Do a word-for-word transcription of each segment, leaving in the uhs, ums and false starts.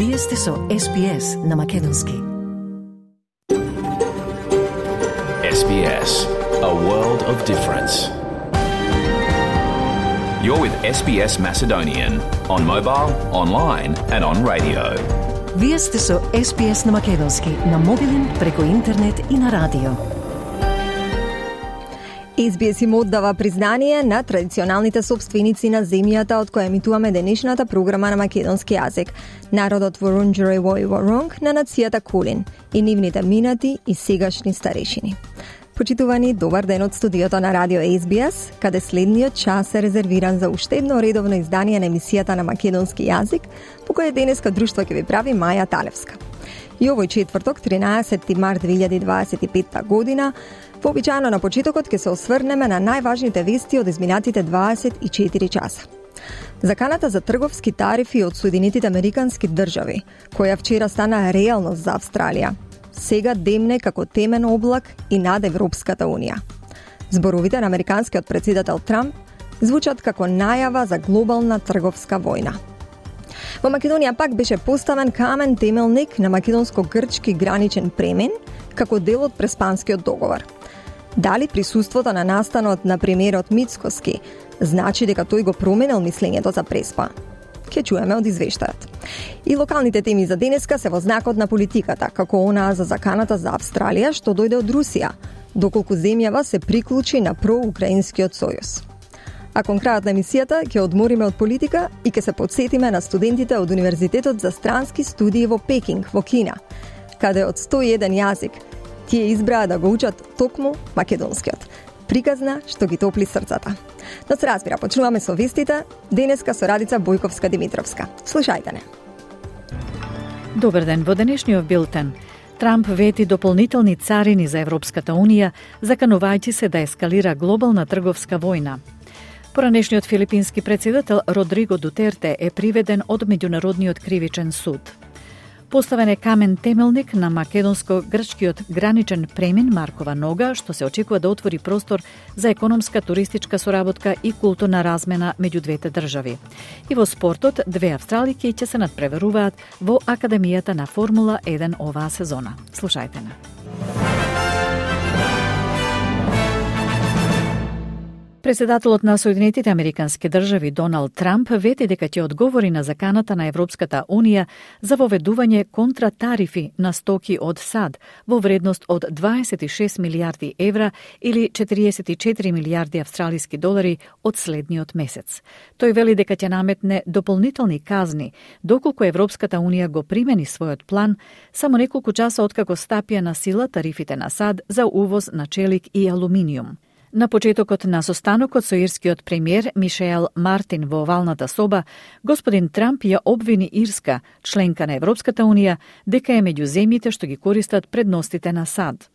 Вие сте со Ес Би Ес на Македонски. Ес Би Ес, a world of difference. You're with Ес Би Ес Macedonian on mobile, online and on radio. Вие сте со Ес Би Ес на Македонски, на мобилен, преку интернет и на радио. Ес Би Ес им оддава признание на традиционалните собственици на земјата од која емитуваме денешната програма на македонски јазик, народот Вурундџери Вој Воронг на нацијата Кулин и нивните минати и сегашни старешини. Почитувани, добар ден од студиото на радио Ес Би Ес, каде следниот час е резервиран за уште едно редовно издание на емисијата на македонски јазик, по кој денеска друштво ќе ви прави Маја Талевска. И овој четврток, тринаесети март две илјади дваесет и петта година, вообичаено на почетокот ќе се осврнеме на најважните вести од изминатите дваесет и четири часа. Заканата за трговски тарифи од Соединетите Американски држави, која вчера стана реалност за Австралија, сега демне како темен облак и над Европската Унија. Зборовите на американскиот председател Трамп звучат како најава за глобална трговска војна. Во Македонија пак беше поставен камен темелник на македонско-грчки граничен премин како дел од Преспанскиот договор. Дали присуството на настанот на премиерот Мицкоски значи дека тој го променил мислењето за Преспа? Ке чуеме од извештајот. И локалните теми за денеска се во знакот на политиката, како онаа за заканата за Австралија што дојде од Русија, доколку земјава се приклучи на проукраинскиот сојуз. А кон крајот на емисијата ќе одмориме од политика и ќе се подсетиме на студентите од Универзитетот за странски студии во Пекинг, во Кина, каде од сто и еден јазик тие избраа да го учат токму македонскиот. Приказна што ги топли срцата. Но се разбира, почнуваме со вестите, денеска со Радица Бојковска-Димитровска. Слушајте не. Добар ден, во денешниот билтен. Трамп вети дополнителни царини за Европската Унија, заканувајќи се да ескалира глобална трговска војна. Поранешниот филипински председател Родриго Дутерте е приведен од Меѓународниот кривичен суд. Поставен е камен темелник на македонско-грчкиот граничен премин Маркова нога, што се очекува да отвори простор за економска, туристичка соработка и културна размена меѓу двете држави. И во спортот, две австралики ќе се надпреваруваат во Академијата на Формула еден оваа сезона. Слушајте на. Председателот на Соединетите Американски држави Доналд Трамп вети дека ќе одговори на заканата на Европската Унија за воведување контратарифи на стоки од САД во вредност од дваесет и шест милијарди евра или четириесет и четири милијарди австралиски долари од следниот месец. Тој вели дека ќе наметне дополнителни казни доколку Европската Унија го примени својот план само неколку часа откако стапија на сила тарифите на САД за увоз на челик и алуминиум. На почетокот на состанокот со ирскиот премиер Мишел Мартин во овалната соба, господин Трамп ја обвини Ирска, членка на Европската Унија, дека е меѓу земјите што ги користат предностите на САД.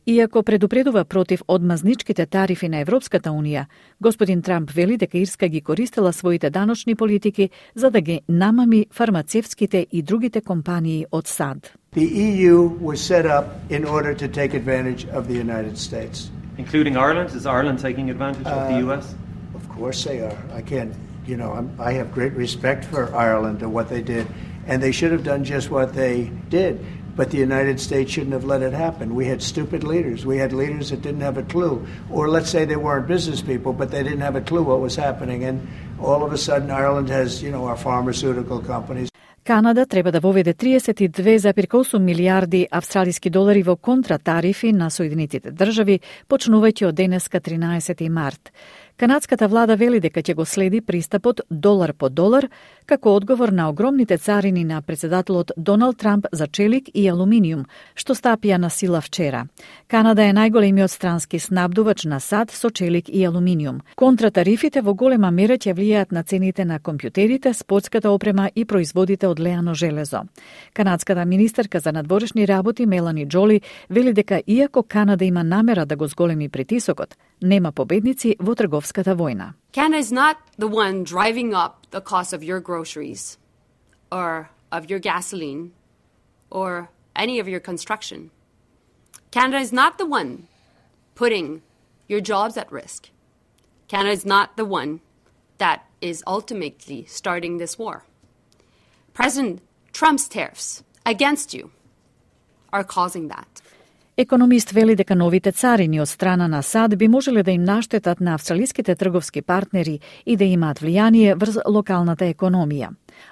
Иако предупредува против одмазничките тарифи на Европската Унија, господин Трамп вели дека Ирска ги користела своите даночни политики за да ги намами фармацевските и другите компании од САД. The E U was set up in order to take advantage of the United States. Including Ireland? Is Ireland taking advantage of the U S? Uh, of course they are. I can't, you know, I'm, I have great respect for Ireland and what they did, and they should have done just what they did. But the United States shouldn't have let it happen. We had stupid leaders. We had leaders that didn't have a clue. Or let's say they weren't business people, but they didn't have a clue what was happening. And all of a sudden Ireland has, you know, our pharmaceutical companies. Канада треба да воведе триесет и две зарез осум милијарди австралиски долари во контратарифи на Соединетите држави, почнувајќи од денеска тринаесети март. Канадската влада вели дека ќе го следи пристапот долар по долар, како одговор на огромните царини на председателот Доналд Трамп за челик и алуминиум, што стапија на сила вчера. Канада е најголемиот странски снабдувач на САД со челик и алуминиум. Контратарифите во голема мера ќе влијаат на цените на компјутерите, спортската опрема и производите од леано железо. Канадската министерка за надворешни работи Мелани Џоли вели дека иако Канада има намера да го зголеми притисокот, нема победници во трговската војна. Canada is not the one driving up the cost of your groceries or of your gasoline or any of your construction. Canada is not the one putting your jobs at risk. Canada is not the one that is ultimately starting this war. President Trump's tariffs against you are causing that. Економист вели дека новите царини од страна на САД би можеле да им наштетат на австралиските трговски партнери и да имаат влијание врз локалната економија.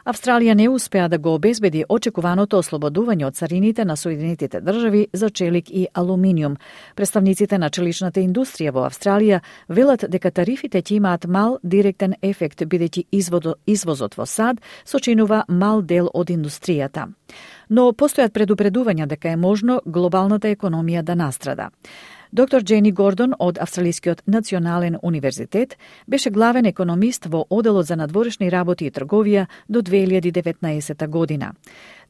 Австралија не успеа да го обезбеди очекуваното ослободување од царините на Соединетите држави за челик и алуминиум. Представниците на челичната индустрија во Австралија велат дека тарифите ќе имаат мал директен ефект, бидејќи извозот во САД сочинува мал дел од индустријата. Но постојат предупредувања дека е можно глобалната економија да настрада. Доктор Джени Гордон од Австралискиот национален универзитет беше главен економист во Оделот за надворешни работи и трговија до две илјади и деветнаесета година.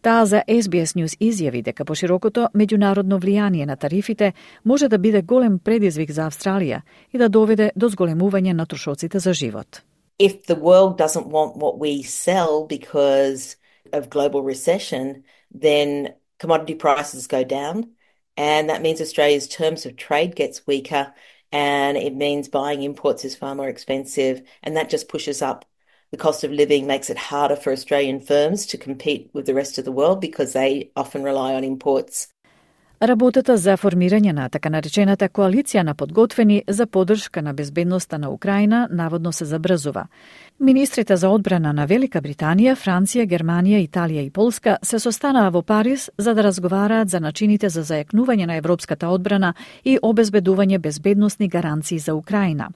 Таа за Ес Би Ес News изјави дека поширокото меѓународно влијание на тарифите може да биде голем предизвик за Австралија и да доведе до зголемување на трошоците за живот. If the world doesn't want what we sell because of global recession, then commodity prices go down. And that means Australia's terms of trade gets weaker, and it means buying imports is far more expensive, and that just pushes up the cost of living, makes it harder for Australian firms to compete with the rest of the world because they often rely on imports. Работата за формирање на така наречената коалиција на подготвени за поддршка на безбедноста на Украина наводно се забрзува. Министрите за одбрана на Велика Британија, Франција, Германија, Италија и Полска се состанаа во Париз за да разговараат за начините за зајакнување на европската одбрана и обезбедување безбедносни гаранции за Украина.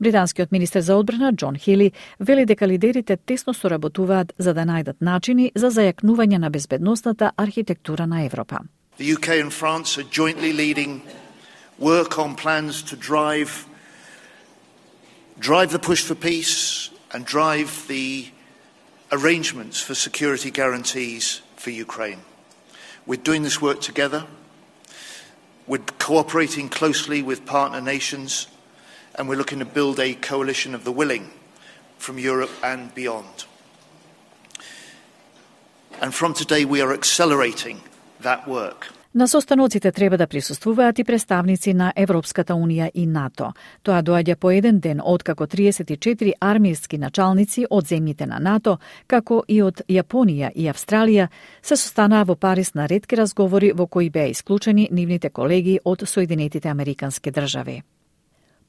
Британскиот министер за одбрана Џон Хили вели дека лидерите тесно соработуваат за да најдат начини за зајакнување на безбедносната архитектура на Европа. The U K and France are jointly leading work on plans to drive drive the push for peace and drive the arrangements for security guarantees for Ukraine. We're doing this work together. We're cooperating closely with partner nations, and we're looking to build a coalition of the willing from Europe and beyond. And from today we are accelerating that work. На состаноците треба да присуствуваат и представници на Европската Унија и НАТО. Тоа доаѓа по еден ден откако триесет и четири армијски началници од земјите на НАТО, како и од Јапонија и Австралија, се состанаа во Париз на ретки разговори во кои беа исклучени нивните колеги од Соединетите Американски држави.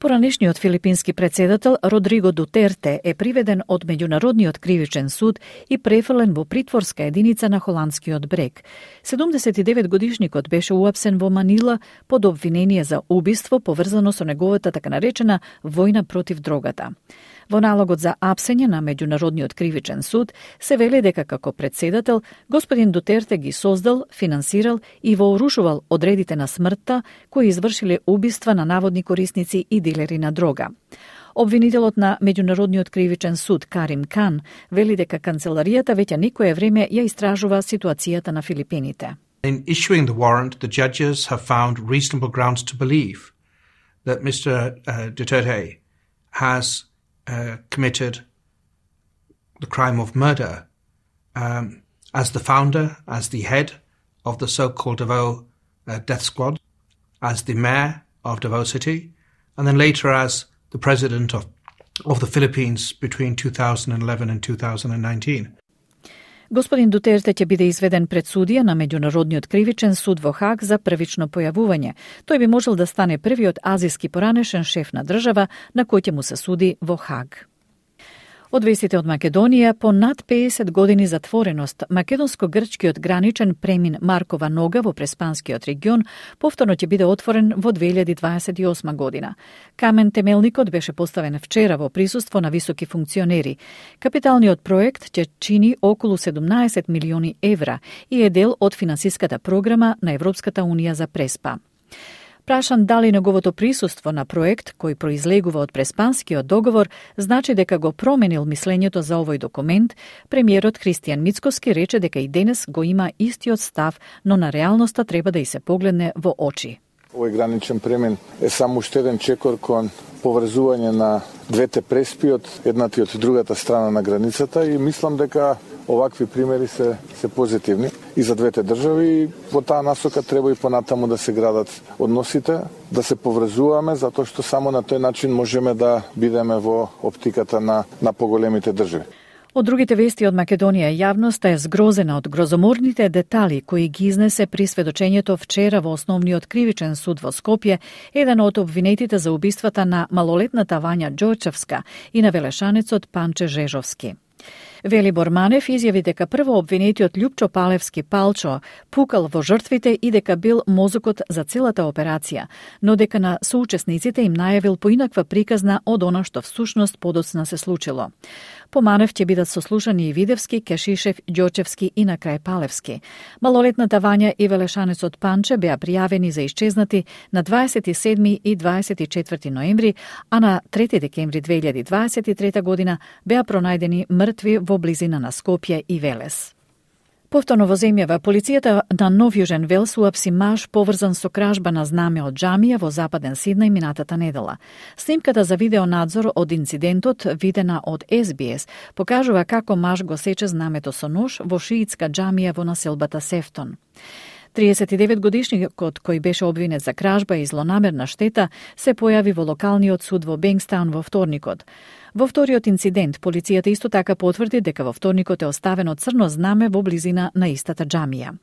Поранешниот филипински председател Родриго Дутерте е приведен од Меѓународниот кривичен суд и префрлен во притворска единица на холандскиот брег. седумдесет и девет годишникот беше уапсен во Манила под обвинение за убиство поврзано со неговата така наречена војна против дрогата. Во налогот за апсење на Меѓународниот кривичен суд се вели дека како председател господин Дутерте ги создал, финансирал и вооружувал одредите на смртта кои извршиле убиства на наводни корисници и дилери на дрога. Обвинителот на Меѓународниот кривичен суд Карим Кан вели дека канцеларијата веќе некое време ја истражува ситуацијата на Филипините. In issuing the warrant, the judges have found reasonable grounds to believe that Mister Uh, Duterte has uh, committed the crime of murder um, as the founder, as the head of the so-called Davao uh, death squad, as the mayor of Davao City, and then later as the president of, of the Philippines between two thousand eleven and two thousand nineteen. Господин Дутерте ќе биде изведен пред судија на Меѓународниот кривичен суд во Хаг за првично појавување. Тој би можел да стане првиот азиски поранешен шеф на држава на кој ќе му се суди во Хаг. Од вестите од Македонија, по над педесет години затвореност, македонско-грчкиот граничен премин Маркова нога во Преспанскиот регион повторно ќе биде отворен во две илјади дваесет и осма година. Камен темелникот беше поставен вчера во присуство на високи функционери. Капиталниот проект ќе чини околу седумнаесет милиони евра и е дел од финансиската програма на Европската Унија за Преспа. Прашан дали неговото присуство на проект кој произлегува од Преспанскиот договор значи дека го променил мислењето за овој документ, премиерот Христијан Мицкоски рече дека и денес го има истиот став, но на реалноста треба да и се погледне во очи. Овој граничен премин е само уште еден чекор кон поврзување на двете преспи од едната и од другата страна на границата и мислам дека овакви примери се се позитивни и за двете држави и во таа насока треба и понатаму да се градат односите, да се поврзуваме затоа што само на тој начин можеме да бидеме во оптиката на на поголемите држави. Од другите вести од Македонија, јавноста е згрозена од грозоморните детали кои ги изнесе при сведочењето вчера во основниот кривичен суд во Скопје, еден од обвинетите за убиствата на малолетната Вања Ѓорчевска и на велешанецот Панче Жежовски. Велибор Манев изјави дека прво обвинетиот Љупчо Палевски Палчо пукал во жртвите и дека бил мозокот за целата операција, но дека на соучесниците им најавил поинаква приказна од она што всушност подоцна се случило. По Манев ќе бидат сослушани и Видевски, Кешишев, Ѓорчевски и на крај Палевски. Малолетната Вања и велешанецот Панче беа пријавени за исчезнати на дваесет и седми и дваесет и четврти ноември, а на трети декември две илјади дваесет и трета година беа пронајдени мртви во близина на Скопје и Велес. Повторно во земјава, полицијата на Нов Јужен Велс уапси маж поврзан со кражба на знаме од џамија во западен Сиднеј минатата недела. Снимката за видеонадзор од инцидентот, видена од Ес Би Ес, покажува како маж го сече знамето со нож во шиитска џамија во населбата Сефтон. триесет и девет годишникот кој беше обвинет за кражба и злонамерна штета се појави во локалниот суд во Бенгстаун во вторникот. Во вториот инцидент, полицијата исто така потврди дека во вторникот е оставено црно знаме во близина на истата џамија.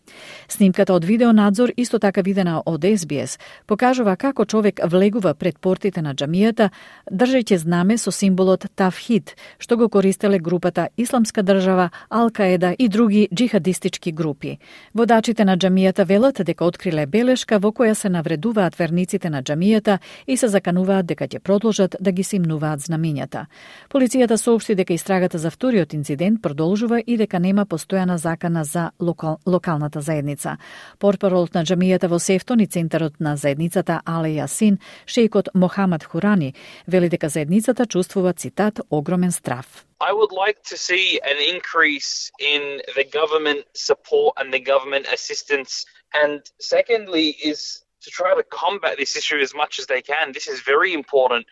Снимката од видеонадзор, исто така видена од Ес Би Ес, покажува како човек влегува пред портите на џамијата, држејќи знаме со символот Тавхид, што го користеле групата Исламска држава, Ал-Каеда и други џихадистички групи. Водачите на џамијата велат дека откриле белешка во која се навредуваат верниците на џамијата и се закануваат дека ќе продолжат да ги симнуваат знамињата. Полицијата соопшти дека истрагата за вториот инцидент продолжува и дека нема постојана закана за локал, локалната заедница. Портпаролот на џамијата во Сефтон и центарот на заедницата Але Јасин, шејкот Мохамад Хурани, вели дека заедницата чувствува, цитат, огромен страф. I would like to see an increase in the government support and the government assistance. And secondly is to try to combat this issue as much as they can. This is very important,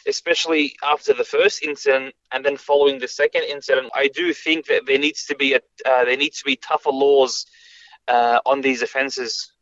especially after the first incident and then following the second incident. I do think that there needs to be a uh, there needs to be tougher laws uh, on these offences.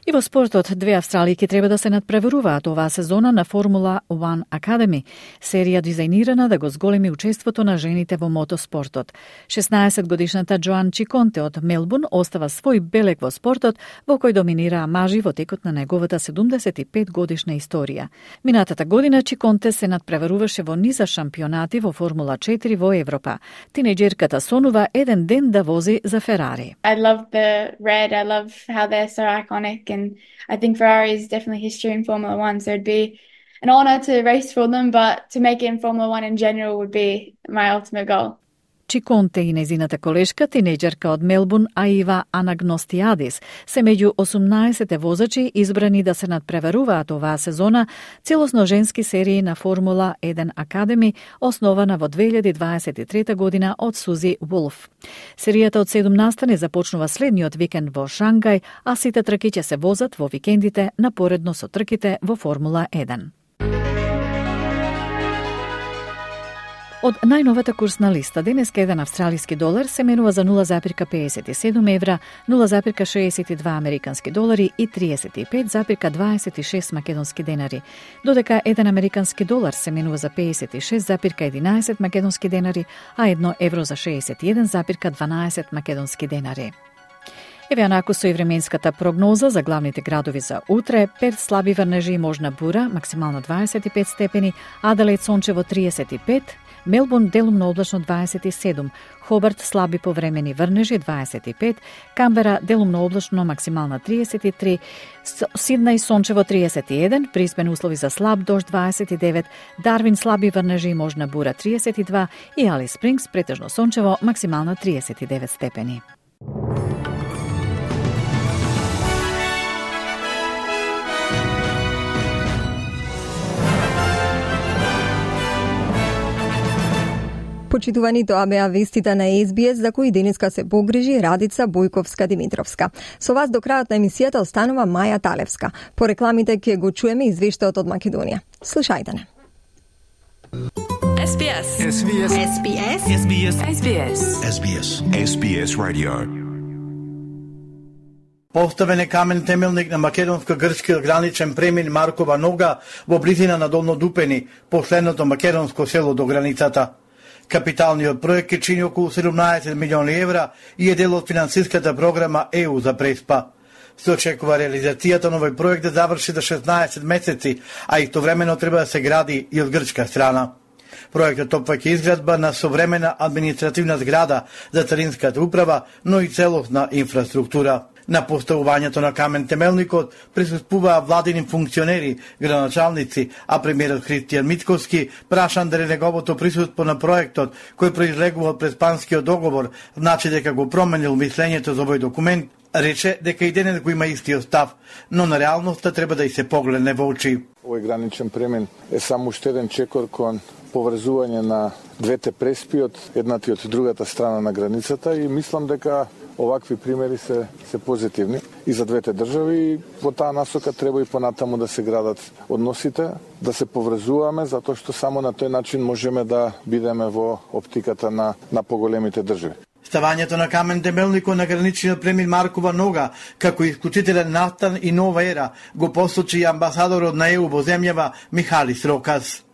И во спортот, две австралијки треба да се надпреваруваат оваа сезона на Формула еден Academy, серија дизајнирана да го зголеми учеството на жените во мотоспортот. шеснаесет годишната Джоан Чиконте од Мелбурн остава свој белег во спортот, во кој доминираа мажи во текот на неговата седумдесет и пет годишна историја. Минатата година Чиконте се надпреваруваше во низа шампионати во Формула четири во Европа. Тинејџерката сонува еден ден да вози за Ферари. I love the red, I love how they're so iconic. And I think Ferrari is definitely history in Formula One, so it'd be an honour to race for them, but to make it in Formula One in general would be my ultimate goal. Чиконте и незината колешка, тинејџерка од Мелбурн, Аива Анагностиадис, се меѓу осумнаесет возачи избрани да се надпреваруваат оваа сезона целосно женски серии на Формула еден Academy, основана во две илјади дваесет и трета година од Сузи Вулф. Серијата од седум настани започнува следниот викенд во Шангај, а сите трки ќе се возат во викендите напоредно со трките во Формула еден. Од најновата курсна листа, денеска еден австралиски долар се менува за нула запирка педесет и седум евра, нула запирка шеесет и два американски долари и триесет и пет запирка дваесет и шест македонски денари, додека еден американски долар се менува за педесет и шест запирка единаесет македонски денари, а едно евро за шеесет и еден запирка дванаесет македонски денари. Еве анаку со и временската прогноза за главните градови за утре: Перт слаби врнежи и можна бура, максимално дваесет и пет степени, Аделаид сончево триесет и пет, Мелбурн делумно облачно дваесет и седум, Хобарт слаби повремени врнежи дваесет и пет, Камбера делумно облачно максимална триесет и три, Сиднеј сончево триесет и еден, Брисбен услови за слаб дожд дваесет и девет, Дарвин слаби врнежи и можна бура триесет и два и Алис Спрингс претежно сончево максимална триесет и девет степени. Почитувани, тоа беа вестите на Ес Би Ес за кои денеска се погрижи Радица Бојковска-Димитровска. Со вас до крајот на емисијата останува Маја Талевска. По рекламите ќе го чуеме извештајот од Македонија. Слушајте не. Ес Би Ес. Ес Би Ес. Ес Би Ес. Ес Би Ес. Ес Би Ес. Ес Би Ес. Ес Би Ес Radio. Поставен е камен темелник на македонско-грчки граничен премин Маркова нога во близина на Долно Дупени, последното македонско село до границата. Капиталниот проект ќе чини околу седумнаесет милиони евра и е дел од финансиската програма Е У за Преспа. Се очекува реализацијата на овој проект да заврши за шеснаесет месеци, а истовремено треба да се гради и од грчка страна. Проектот опфаќа изградба на современа административна зграда за царинската управа, но и целосна инфраструктура. На поставувањето на камен темелникот присуствуваа владини функционери, градоначалници, а премиерот Христијан Мицкоски прашан дали неговото присуство на проектот, кој произлегува од преспанскиот договор, значи дека го променил мислењето за овој документ, рече дека и денес го има истиот став, но на реалноста треба да и се погледне во очи. Овој граничен премин е само уште еден чекор кон поврзување на двете преспи од едната и од другата страна на границата и мислам дека овакви примери се се позитивни и за двете држави и во таа насока треба и понатаму да се градат односите, да се поврзуваме затоа што само на тој начин можеме да бидеме во оптиката на на поголемите држави. Ставањето на камен темелникот на граничниот премин Маркова нога како исклучителен настан и нова ера го посочи и амбасадорот на Е У во земјава Михалис Рокас.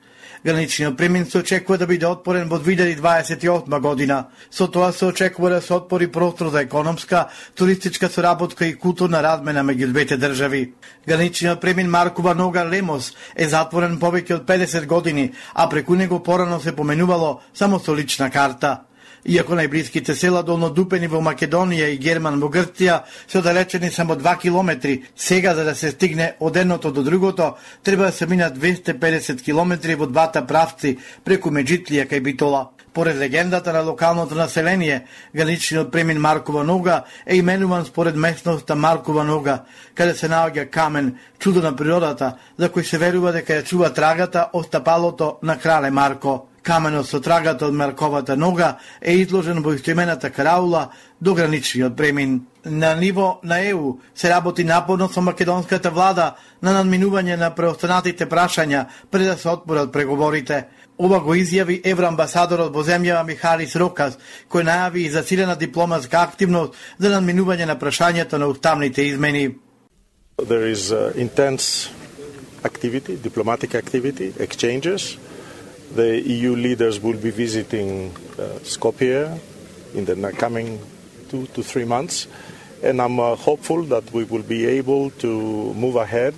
Граничниот премин се очекува да биде отпорен во две илјади дваесет и осма година. Со тоа се очекува да се отпори простор за економска, туристичка соработка и културна размена меѓу двете држави. Граничниот премин Маркова нога Лемос е затворен повеќе од педесет години, а преку него порано се поменувало само со лична карта. Иако најблиските села Долно Дупени во Македонија и Герман во Грција се оддалечени само два километри, сега за да се стигне од едното до другото, треба да се минат двесте и педесет километри во двата правци преку Меджитлија кај Битола. Поред легендата на локалното население, граничниот премин Маркова нога е именуван според местноста Маркова нога, каде се наоѓа камен, чудо на природата, за кој се верува дека ја чува трагата од стапалото на крале Марко. Каменот со трагата од Марковата нога е изложен во истоимената караула до граничниот премин. На ниво на Е У се работи напорно со македонската влада на надминување на преостанатите прашања пред да се отворат преговорите. Ова го изјави евроамбасадорот во земјава Михалис Рокас, кој најави и засилена дипломатска активност за надминување на прашањето на уставните измени. There is uh, intense activity, diplomatic activity, exchanges. The E U leaders will be visiting uh, Skopje in the coming two to three months, and I'm uh, hopeful that we will be able to move ahead.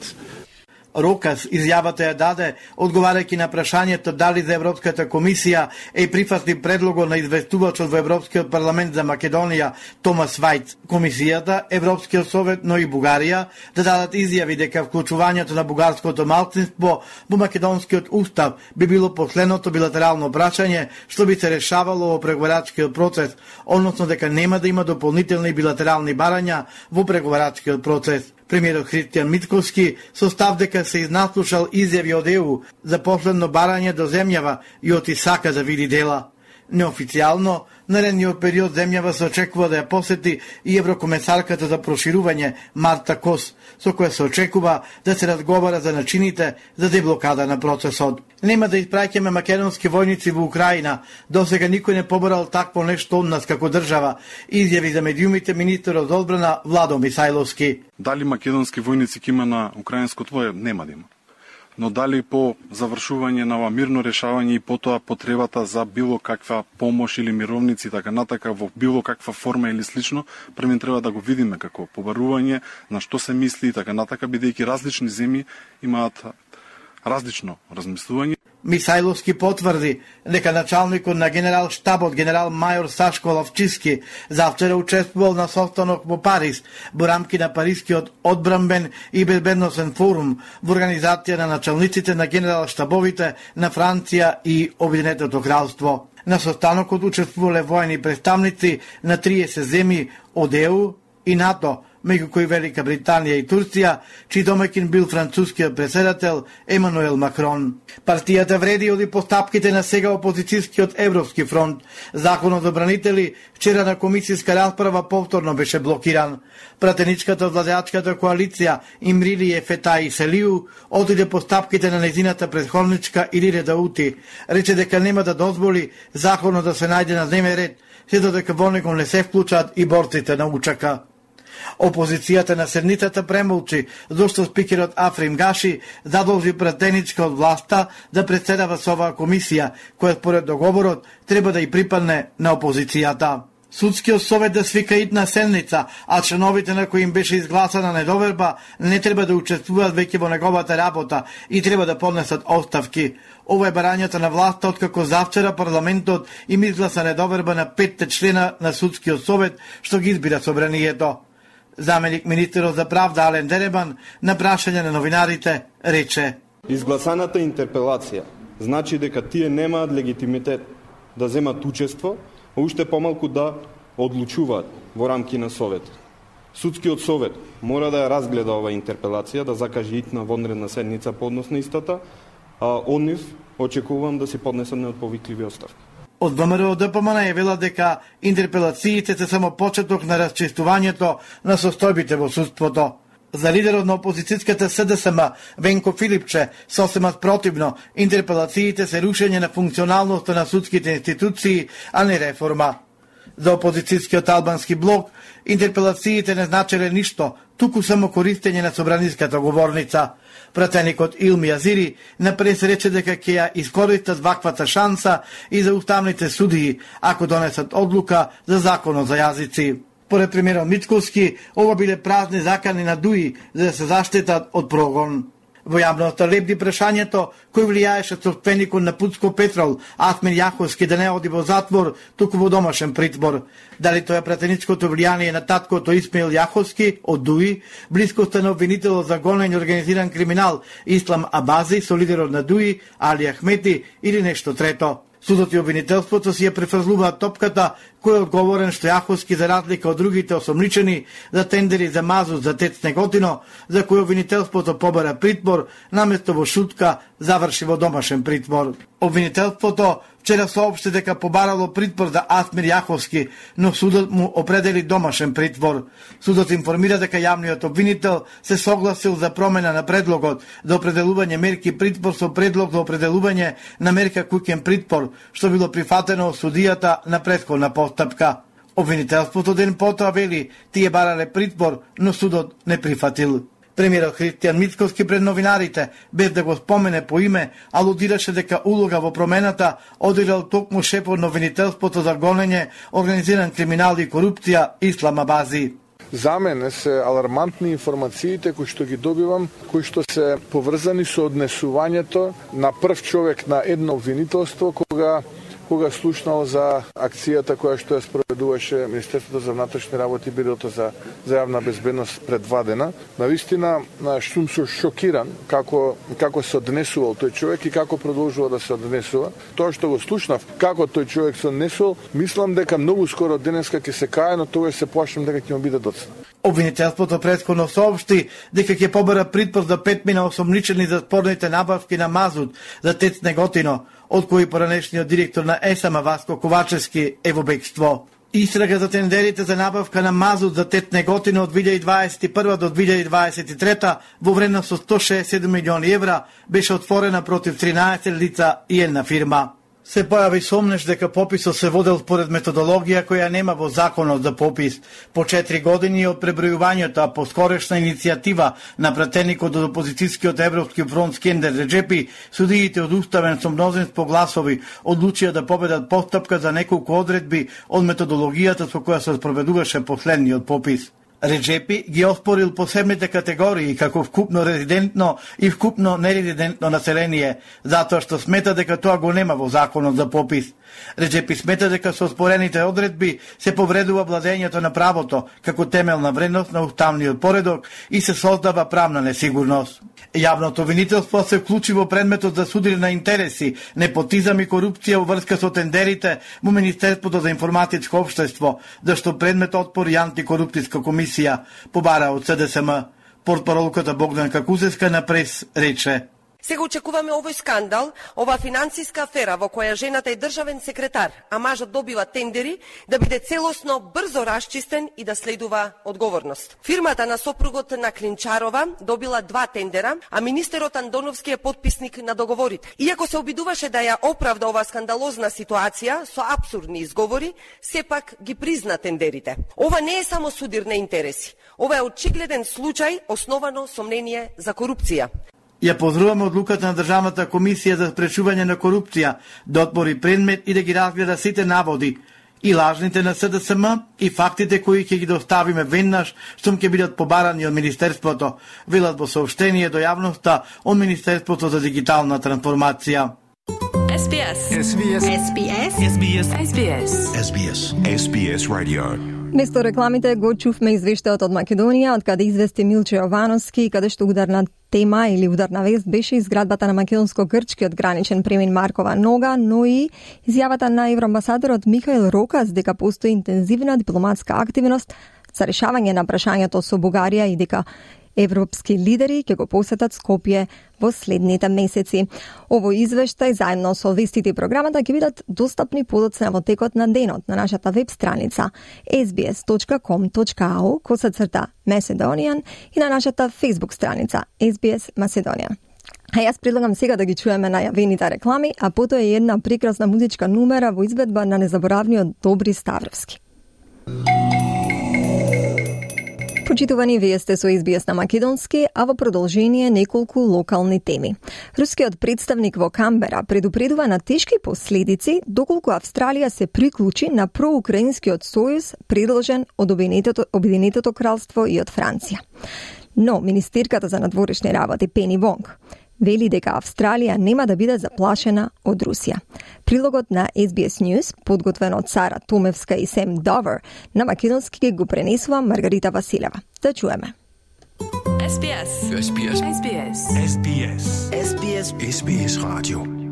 Рокас изјавата ја даде одговарајќи на прашањето дали за Европската комисија е прифатли предлогот на известувачот во Европскиот парламент за Македонија Томас Вајц. Комисијата, Европскиот совет, но и Бугарија да дадат изјави дека вклучувањето на бугарското малцинство во македонскиот устав би било последното билатерално прашање што би се решавало во преговарачкиот процес, односно дека нема да има дополнителни билатерални барања во преговарачкиот процес. Премиерот Христијан Мицкоски со став дека се изнаслушал изјави од Е У за последно барање до земјава и оти сака да види дела. Неофицијално, наредниот период земјава се очекува да ја посети и еврокомесарката за проширување Марта Кос, со која се очекува да се разговара за начините за деблокада на процесот. Нема да испраќаме македонски војници во Украина, досега никој не поборал такво нешто од нас како држава, изјави за медиумите министерот за одбрана Владо Мисајловски. Дали македонски војници ќе има на украинско твое? Нема да има. Но дали по завршување на ова мирно решавање и потоа потребата за било каква помош или мировници така натака во било каква форма или слично, први треба да го видиме како побарување на што се мисли и така натака, бидејќи различни земји имаат различно размислување. Мисајловски потврди дека началникот на генерал штабот генерал мајор Сашко Лавчиски завчера учествувал на состанок во Париз во рамки на Парискиот одбранбен и безбедносен форум во организација на началниците на генерал штабовите на Франција и Обединетото кралство. На состанокот учествувале воени представници на триесет земји од Е У и НАТО, меѓу кои Велика Британија и Турција, чиј домаќин бил францускиот председател Емануел Макрон. Партијата вреди оди постапките на сега опозицијскиот Европски фронт. Законот за бранители вчера на комисијска расправа повторно беше блокиран. Пратеничката од владеачката коалиција Имрили Ефетаи Селиу одиде постапките на незината претходничка Илире Даути. Рече дека нема да дозволи законот да се најде на дневен ред, се додека во него не се вклучат и борците на Учака. Опозицијата на седницата премолчи, зашто спикерот Африм Гаши задолжи пратеничка од власта да председава со оваа комисија, која според договорот треба да и припадне на опозицијата. Судскиот совет да свика идна седница, а членовите на кои им беше изгласана недоверба не треба да учествуваат веќе во неговата работа и треба да поднесат оставки. Ова е барањето на власта откако завчера парламентот им изгласа недоверба на петте члена на Судскиот совет што ги избира собранието. Заменик министерот за правда Ален Деребан на прашање на новинарите рече: изгласаната интерпелација значи дека тие немаат легитимитет да земат учество, а уште помалку да одлучуваат во рамки на Совет. Судскиот совет мора да ја разгледа оваа интерпелација, да закаже итна вонредна седница по однос на истата, а од нив очекувам да си поднесат неотповикливи оставки. Од ВМРО ДПМН најавила дека интерпелациите се само почеток на расчистувањето на состојбите во судството. За лидерот на опозицијската СДСМ Венко Филипче сосема спротивно, интерпелациите се рушење на функционалноста на судските институции, а не реформа. За опозицијскиот албански блок интерпелациите не значеле ништо, туку само користење на собраниската говорница. Пратеникот Илми Азири напред рече дека ќе ја искористат ваквата шанса и за уставните судии, ако донесат одлука за законот за јазици. Поред премиерот Мицковски, ова биле празни закани на дуи за да се заштитат од прогон. Во јавноста лебди прашањето кој влијаеше собственикот на Пуцко Петрол, Асмир Јаховски, да не оди во затвор, туку во домашен притвор. Дали тоа е пратеничкото влијание на таткото Исмаил Јаховски од Дуи, блискоста на обвинителот за гонење организиран криминал Ислам Абази со лидерот на Дуи, Али Ахмети или нешто трето. Судот и обвинителството си ја префрлуваат топката кој е одговорен што Јаховски, за разлика од другите осомничени за тендери за мазут за ТЕЦ Неготино, за кој обвинителството побара притвор, наместо во шутка заврши во домашен притвор. Обвинителството вчера соопшти дека побарало притвор за Асмир Јаховски, но судот му определи домашен притвор. Судот информира дека јавниот обвинител се согласил за промена на предлогот за определување мерки притвор со предлог за определување на мерка куќен притвор, што било прифатено од судијата на претходна постапка. Обвинителството ден потоа вели тие барале притвор, но судот не прифатил. Премиерот Христијан Мицковски пред новинарите, без да го спомене по име, алудираше дека улога во промената одиграл токму шефот на обвинителството за гонење, организиран криминал и корупција Ислам Абази. За мене се алармантни информациите кои што ги добивам, кои што се поврзани со однесувањето на прв човек на едно обвинителство кога кога слушнал за акцијата која што ја спроведуваше Министерството за внатрешни работи и Бирото за, за јавна безбедност пред два дена. Навистина, сум со шокиран како, како се однесувал тој човек и како продолжува да се однесува. Тоа што го слушнав, како тој човек се однесувал, мислам дека многу скоро денеска ќе се кае, но тогаш се плашам дека ќе му биде доцна. Обвинителството претходно соопшти дека ќе побара притвор за пет мина осомничени за спорните набавки на мазут за ТЕЦ Неготино, од кои поранешниот директор на ЕСАМА Васко Ковачевски е во бегство. Истрага за тендерите за набавка на мазут за ТЕЦ Неготино од две илјади дваесет и прва до две илјади дваесет и трета во вредност со сто шеесет и седум милиони евра беше отворена против тринаесет лица и една фирма. Се појави сомнеш дека пописот се водел според методологија која нема во законот за попис. По четири години од пребројувањето, а по скорешна иницијатива на пратеникот од опозицијскиот Европски фронт Скендер Реджепи, судиите од уставен со мнозинство гласови одлучија да победат постапка за неколку одредби од методологијата со која се спроведуваше последниот попис. Реджепи ги оспорил посебните категории како вкупно резидентно и вкупно нерезидентно население, затоа што смета дека тоа го нема во законот за попис. Реджепи смета дека со оспорените одредби се повредува владењето на правото како темелна вредност на уставниот поредок и се создава правна несигурност. Јавното обвинителство се вклучи во предметот за судење на интереси, непотизам и корупција во врска со тендерите во Министерството за информатичко општество, зашто предмет отпор и антикорупцијска комисија побара од СДСМ. Портпаролката Богданка Кузевска на прес рече: Сега очекуваме овој скандал, ова финансиска афера во која жената е државен секретар, а мажот добива тендери, да биде целосно брзо расчистен и да следува одговорност. Фирмата на сопругот на Клинчарова добила два тендера, а министерот Андоновски е потписник на договорите. Иако се обидуваше да ја оправда ова скандалозна ситуација со апсурдни изговори, сепак ги призна тендерите. Ова не е само судир на интереси. Ова е очигледен случај основано сомнение за корупција. Ја поздравуваме одлуката на Државната комисија за спречување на корупција да отвори предмет и да ги разгледа сите наводи, и лажните на С Д С М, и фактите кои ќе ги доставиме веднаш штом ќе бидат побарани од Министерството, велат во соопштение до јавноста од Министерството за дигитална трансформација. Ес Би Ес. Ес Би Ес. Ес Би Ес. Ес Би Ес. Ес Би Ес. Ес Би Ес. Ес Би Ес Radio. Место рекламите го чувме извештајот од Македонија, од каде извести Милче Јовановски, каде што ударна тема или ударна вест беше изградбата на македонско-грчкиот граничен премин Маркова нога, но и изјавата на евроамбасадорот Михаил Рокас дека постои интензивна дипломатска активност за решавање на прашањето со Бугарија и дека европски лидери ќе го посетат Скопје во следните месеци. Ово извештај заедно со вестите и програмата ќе бидат достапни подоцна во текот на денот на нашата веб страница ес би ес точка ком точка ау косацрта Macedonian и на нашата Facebook страница Ес Би Ес Macedonian. А јас предлагам сега да ги чуеме најавените реклами, а потоа е една прекрасна музичка numera во изведба на незаборавниот Добри Ставровски. Почитувани, вие сте со Ес Би Ес на македонски, а во продолжение неколку локални теми. Рускиот представник во Камбера предупредува на тешки последици доколку Австралија се приклучи на проукраинскиот сојуз предложен од Обединетото, Обединетото кралство и од Франција. Но министерката за надворешни работи Пени Вонг вели дека Австралија нема да биде заплашена од Русија. Прилогот на Ес Би Ес News, подготвен од Сара Томевска и Сем Довер, на македонски го пренесува Маргарита Василева. Да чуеме. Ес Би Ес. Ес Би Ес. Ес Би Ес. Ес Би Ес. Ес Би Ес. Ес Би Ес Radio.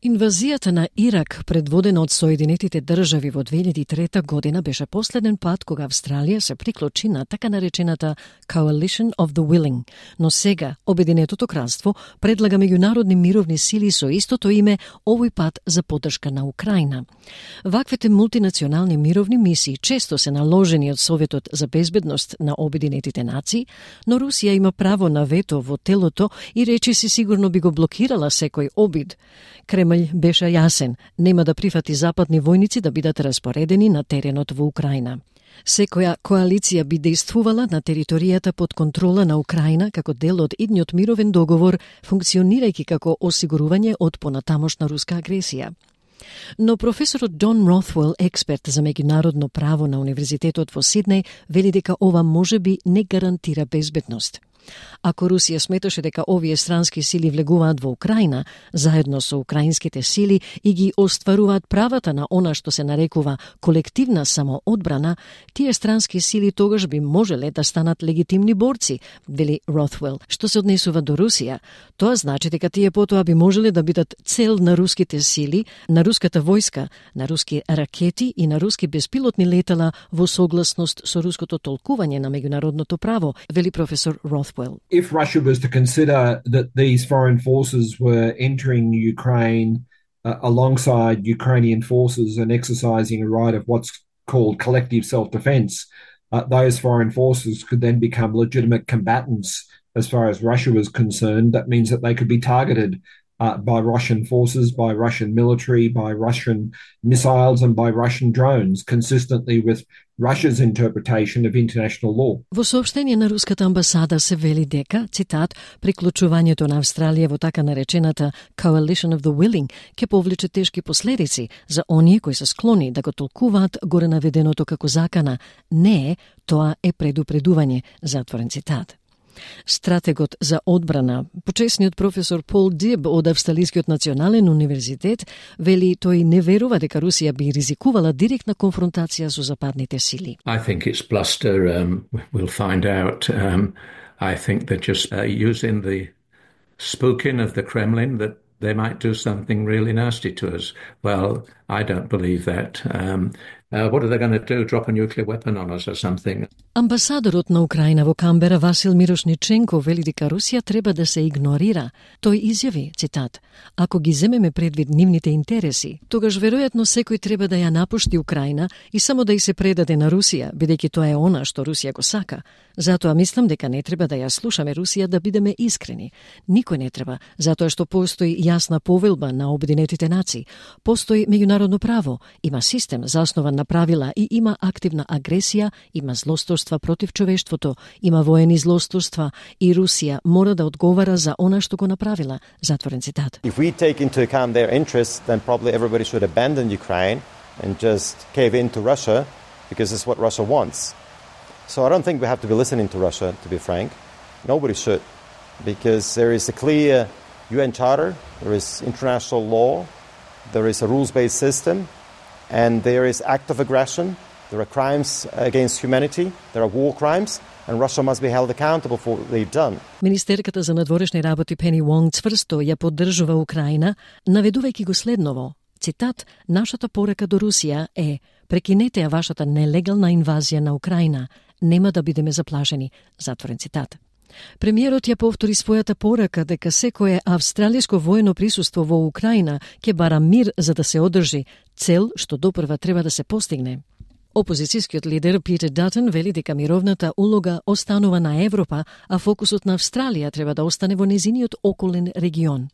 Инвазијата на Ирак, предводена од Соединетите држави во две илјади и трета година, беше последен пат кога Австралија се приклучи на така наречената Coalition of the Willing, но сега Обединетото кралство предлага меѓународни мировни сили со истото име, овој пат за поддршка на Украина. Ваквите мултинационални мировни мисии често се наложени од Советот за безбедност на Обединетите нации, но Русија има право на вето во телото и речиси сигурно би го блокирала секој обид. Кремљ беше јасен, нема да прифати западни војници да бидат распоредени на теренот во Украина. Секоја коалиција би действувала на територијата под контрола на Украина како дел од идниот мировен договор, функционирајќи како осигурување од понатамошна руска агресија. Но професорот Џон Ротвел, експерт за меѓународно право на Универзитетот во Сиднеј, вели дека ова можеби не гарантира безбедност. Ако Русија сметаше дека овие странски сили влегуваат во Украина, заедно со украинските сили и ги остваруваат правата на она што се нарекува колективна самоодбрана, тие странски сили тогаш би можеле да станат легитимни борци, вели Ротвел. Што се однесува до Русија, тоа значи дека тие потоа би можеле да бидат цел на руските сили, на руската војска, на руски ракети и на руски беспилотни летала во согласност со руското толкување на меѓународното право, вели професор Ротвел. If Russia was to consider that these foreign forces were entering Ukraine uh, alongside Ukrainian forces and exercising a right of what's called collective self-defense, uh, those foreign forces could then become legitimate combatants as far as Russia was concerned. That means that they could be targeted Uh, by Russian forces, by Russian military, by Russian missiles and by Russian drones, consistently with Russia's interpretation of international law. Во соопштение на руската амбасада се вели дека, цитат, приклучувањето на Австралија во така наречената Coalition of the Willing ќе повлече тешки последици за оние кои се склони да го толкуваат горе наведеното како закана. Не, тоа е предупредување, затворен цитат. Стратегот за одбрана, почесниот професор Пол Диб од Австралискиот национален универзитет, вели тој не верува дека Русија би ризикувала директна конфронтација со западните сили. I think it's bluster. Um, we'll find out. Um, I think they're just uh, using the spooking of the Kremlin that they might do something really nasty to us. Well, I don't believe that. Um, uh, what are they going to do? Drop a nuclear weapon on us or something? Амбасадорот на Украина во Камбера Васил Мирошниченко вели дека Русија треба да се игнорира. Тој изјави, цитат, ако ги земеме предвид нивните интереси, тогаш веројатно секој треба да ја напушти Украина и само да ја се предаде на Русија, бидејќи тоа е она што Русија го сака. Затоа мислам дека не треба да ја слушаме Русија, да бидеме искрени. Никој не треба, затоа што постои јасна повелба на Обединетите нации. Постои меѓународно право, има систем заснова направила и има активна агресија, има злосторства против човештвото, има воени злосторства и Русија мора да одговара за она што го направила. Затворен цитат. If we take into account their interests, then probably everybody should abandon Ukraine and just cave into Russia because it's what Russia wants. So I don't think we have to be listening to Russia, to be frank. Nobody should, because there is a clear U N Charter, there is international law, there is a rules-based system, and there is act of aggression, there are crimes against humanity, there are war crimes, and Russia must be held accountable for what they've done. Министерката за надворешни работи Пени Вонг цврсто ја поддржува Украина, наведувајќи го следново. Цитат: "Нашата порака до Русија е: прекинете ја вашата нелегална инвазија на Украина, нема да бидеме заплашени." Затворен цитат. Премиерот ја повтори својата порака дека секое австралиско воено присуство во Украина ќе бара мир за да се одржи, цел што допрва треба да се постигне. Опозицијскиот лидер Питер Датон вели дека мировната улога останува на Европа, а фокусот на Австралија треба да остане во незиниот околен регион.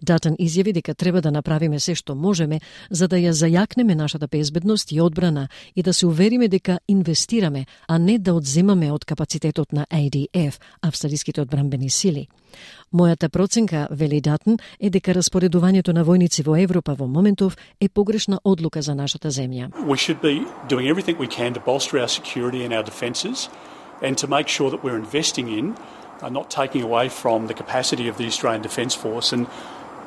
Датон изјави дека треба да направиме се што можеме за да ја зајакнеме нашата безбедност и одбрана и да се увериме дека инвестираме, а не да одземаме од капацитетот на А Д Ф, австралиските одбранбени сили. Мојата проценка, вели Датон, е дека распоредувањето на војници во Европа во моментов е погрешна одлука за нашата земја. We should be doing everything we can to bolster our security and our defences and to make sure that we're investing in are not taking away from the capacity of the Australian Defence Force. And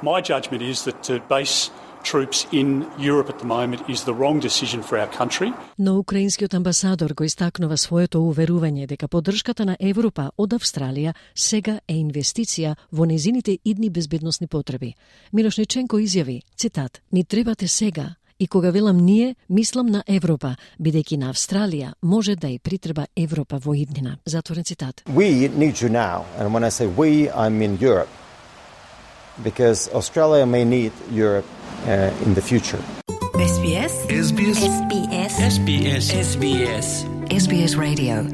my judgment is that to base troops in Europe at the moment is the wrong decision for our country. Но украинскиот амбасадор го истакнува своето уверување дека поддршката на Европа од Австралија сега е инвестиција во незините идни безбедносни потреби. Мирошниченко изјави, цитат: "Ни требате сега, и кога велам ние, мислам на Европа, бидејќи на Австралија може да и притреба Европа во иднина." Затворен цитат. We need you now, and when I say we, I mean Europe, because Australia may need Europe uh, in the future. S B S S B S S B S S B S S B S S B S Radio.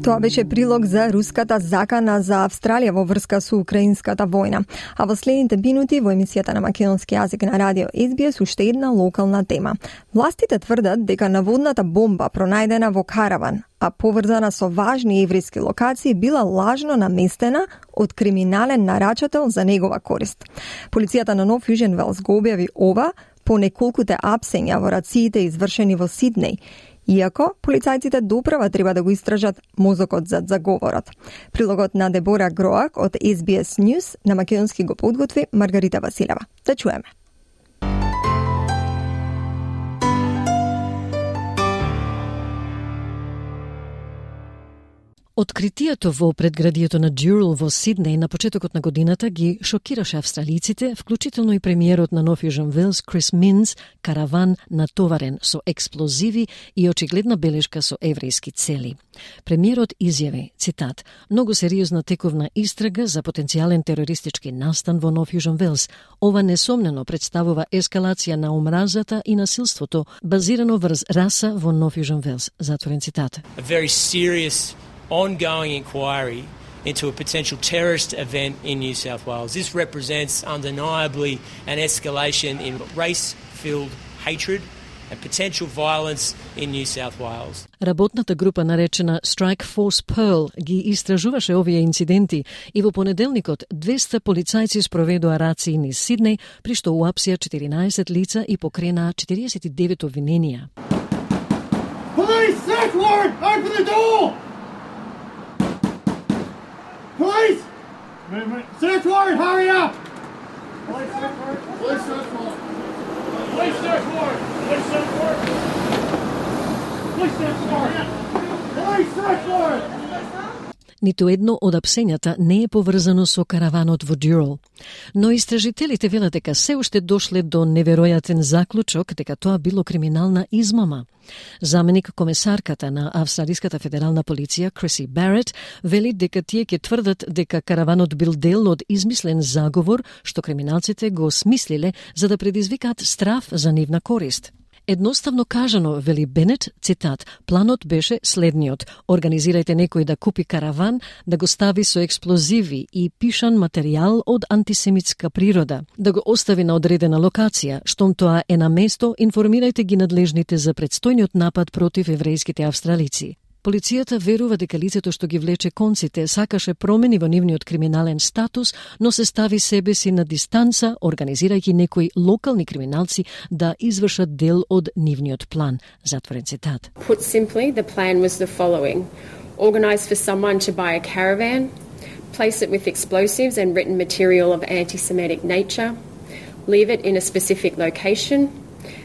Тоа беше прилог за руската закана за Австралија во врска со украинската војна. А во следните минути во емисијата на македонски јазик на радио С Б С уште една локална тема. Властите тврдат дека наводната бомба пронајдена во караван, а поврзана со важни еврејски локации, била лажно наместена од криминален нарачател за негова корист. Полицијата на Нов Јужен Велс го објави ова по неколкуте апсења во рациите извршени во Сиднеј, иако полицајците доправа треба да го истражат мозокот зад заговорот. Прилогот на Дебора Гроак од С Б С News на македонски го подготви Маргарита Василева. Да чуеме. Откритието во предградието на Дюрал во Сиднеј на почетокот на годината ги шокираше австралиците, вклучително и премиерот на Нов Јужен Велс Крис Минс, караван натоварен со експлозиви и очигледна белешка со еврејски цели. Премиерот изјави, цитат: "Многу сериозна тековна истрага за потенцијален терористички настан во Нов Јужен Велс. Ова несомнено представува ескалација на омразата и насилството базирано врз раса во Нов Јужен Велс." Затворен цитат. A very serious ongoing inquiry into a potential terrorist event in New South Wales. This represents undeniably an escalation in race-filled hatred and potential violence in New South Wales. Работната група наречена Strike Force Pearl ги истражуваше овие инциденти и во понеделникот двеста полицајци спроведоа рации низ Сиднеј, при што уапсија четиринаесет лица и покренаа четириесет и девет обвиненија. Police, search warrant! Open the door! Police! Search warrant, hurry up! Police search warrant! Police search warrant! Police search warrant! Police search warrant! Police search warrant! Police search warrant! Ниту едно од апсењата не е поврзано со караванот во Дюрал. Но истражителите велат дека се уште дошле до неверојатен заклучок дека тоа било криминална измама. Заменик комесарката на Австралиската федерална полиција Криси Барет вели дека тие ќе тврдат дека караванот бил дел од измислен заговор што криминалците го смислиле за да предизвикаат страф за нивна корист. Едноставно кажано, вели Бенет, цитат, планот беше следниот. Организирајте некој да купи караван, да го стави со експлозиви и пишан материјал од антисемитска природа, да го остави на одредена локација. Штом тоа е на место, информирајте ги надлежните за предстојниот напад против еврејските австралици. Полицијата верува дека лицето што ги влече конците сакаше промени во нивниот криминален статус, но се стави себе си на дистанца, организирајќи некои локални криминалци да извршат дел од нивниот план. Затворен цитат. Put simply, the plan was the following. Organize for someone to buy a caravan, place it with explosives and written material of anti-Semitic nature, leave it in a specific location,